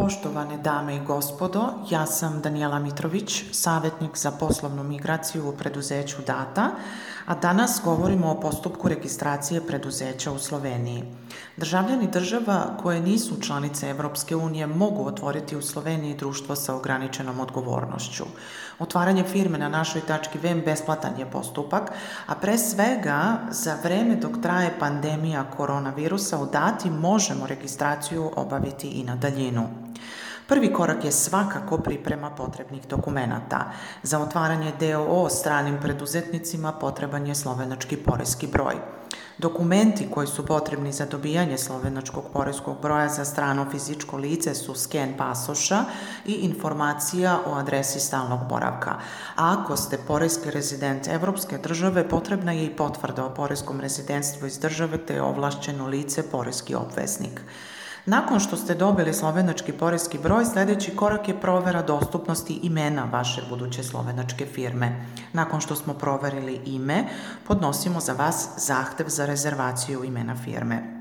Poštovane dame i gospodo, ja sam Danijela Mitrović, savjetnik za poslovnu migraciju u preduzeću Data, a danas govorimo o postupku registracije preduzeća u Sloveniji. Državljani država koje nisu članice Evropske unije mogu otvoriti u Sloveniji društvo sa ograničenom odgovornošću. Otvaranje firme na našoj tački web besplatan je postupak, a pre svega za vreme dok traje pandemija koronavirusa u Dati možemo registraciju obaviti i na daljinu. Prvi korak je svakako priprema potrebnih dokumenata. Za otvaranje d.o.o. stranim preduzetnicima potreban je slovenački poreski broj. Dokumenti koji su potrebni za dobijanje slovenačkog poreskog broja za strano fizičko lice su sken pasoša i informacija o adresi stalnog boravka. A ako ste poreski rezident Evropske države, potrebna je i potvrda o poreskom rezidentstvu iz države te je ovlašćeno lice poreski obveznik. Nakon što ste dobili slovenački poreski broj, sljedeći korak je provera dostupnosti imena vaše buduće slovenačke firme. Nakon što smo proverili ime, podnosimo za vas zahtev za rezervaciju imena firme.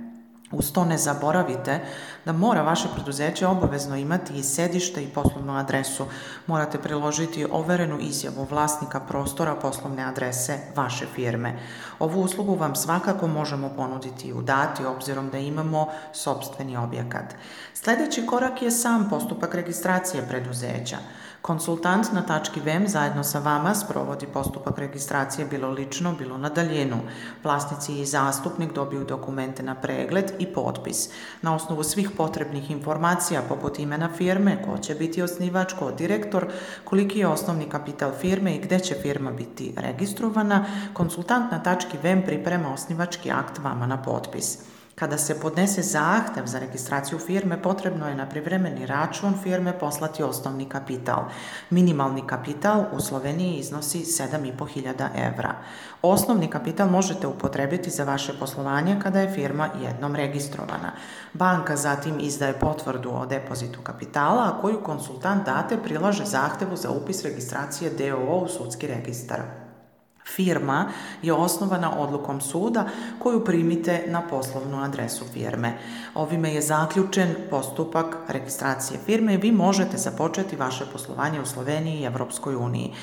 Uz to ne zaboravite da mora vaše preduzeće obavezno imati i sedište i poslovnu adresu. Morate priložiti overenu izjavu vlasnika prostora poslovne adrese vaše firme. Ovu uslugu vam svakako možemo ponuditi i u Dati, obzirom da imamo sopstveni objekat. Sljedeći korak je sam postupak registracije preduzeća. Konsultant na tački web zajedno sa vama sprovodi postupak registracije bilo lično, bilo na daljinu. Vlasnici i zastupnik dobiju dokumente na pregled i potpis. Na osnovu svih potrebnih informacija poput imena firme, ko će biti osnivač, ko direktor, koliki je osnovni kapital firme i gde će firma biti registrovana, konsultant na tački web priprema osnivački akt vama na potpis. Kada se podnese zahtev za registraciju firme, potrebno je na privremeni račun firme poslati osnovni kapital. Minimalni kapital u Sloveniji iznosi 7.500 evra. Osnovni kapital možete upotrebiti za vaše poslovanje kada je firma jednom registrovana. Banka zatim izdaje potvrdu o depozitu kapitala, a koju konsultant Date prilaže zahtevu za upis registracije d.o.o. u sudski registar. Firma je osnovana odlukom suda koju primite na poslovnu adresu firme. Ovime je zaključen postupak registracije firme i vi možete započeti vaše poslovanje u Sloveniji i Evropskoj uniji.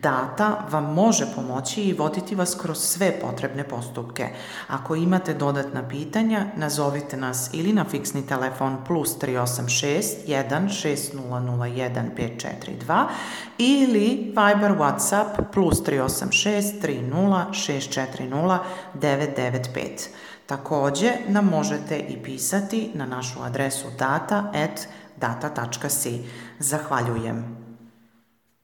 Data vam može pomoći i voditi vas kroz sve potrebne postupke. Ako imate dodatna pitanja, nazovite nas ili na fiksni telefon +386 1 6001 542 ili Viber WhatsApp +386 30 640 995. Također nam možete i pisati na našu adresu data@data.si. Zahvaljujem.